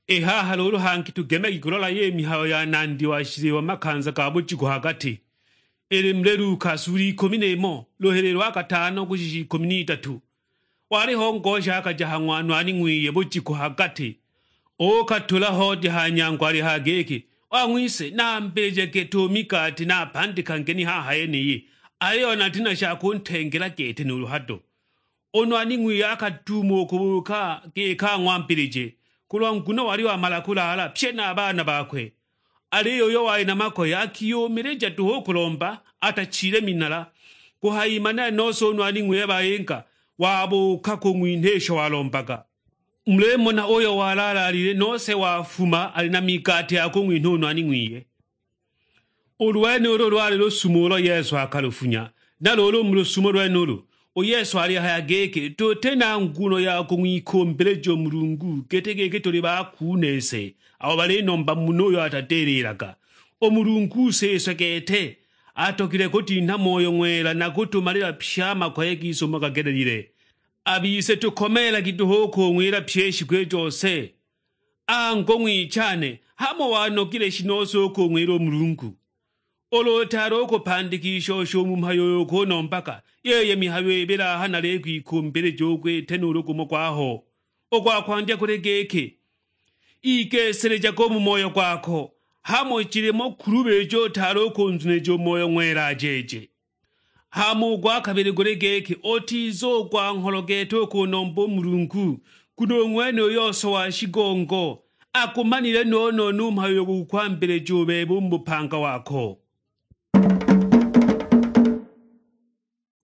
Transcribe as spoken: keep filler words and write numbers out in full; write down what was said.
I haha luulu hangi tugemagi kulola yi mihayo ya nandi wa shiliwa makanza ga bujiku ha gati. Ili muli Luka sula ikumi n'imo, luhili lwa katano kushisha ikumi n'idatu. Waliho ngosha akaja ha ng'wanwani ng'wiye bujiku ha gati, uukatula hodi ha nyango alihaya giki, "Wang'wise, nambilije gete u migati napandikange ni haha yeniyi, aliyo nati na sha kuntengela gete nuulu hado." U nwani ng'wiye akaduuma u kubuuka giki ang'wambilije, kulwa nguno wali wamala kulaala pye na a baana bakwe. Aliyo uyo wali na makoye akiyumilija duhu u kulomba, atachile minala. Kuhayimana nose u nwani ng'wiye bayinga, wabuuka kung'winha isho walombaga. Mulimona uyo walaalaalile nose wafuma ali na migati ya kung'winha u nwani ng'wiye. U lwenulu lwali lusumo ulo Yesu akalufunya. Na luulu mu lusumo lwenulu, u Yesu alihaya giki, tuti na nguno ya kung'wikumbilija u Mulungu giti giki tuli bakuunese, abo balinomba munhu uyo atadililaga. U Mulungu Siswe gete, atogilwe kutinha Moyo Ng'wela na kutumalila pye a makoye gise umo gagelelile. A bise tukomeelagi duhu u kung'wila pyi i shiku i jose. Angu ng'wichane, hamo wanogile shi nose u kung'wila u Mulungu? Ulu utaali u kupandika i shose u mu mhayo uyo ukunombaga, yeye mihayo ibili aha nalikwikumbija u gwite nuulu gumo gwaho. U gwa kwandya guli giki, igeselejaga u mu moyo gwako, hamo jilimo kulubija utaali u kunzunija u Moyo Ng'wela ajeeje. Hama u gwa kabili guli giki, utiza u gwa ngholo gete u kunomba u Mulungu, nguno u ng'wene u yose wa shigongo agumanile no-no nu mhayo uyo gukukwambilija u bebe u mu bupanga wako.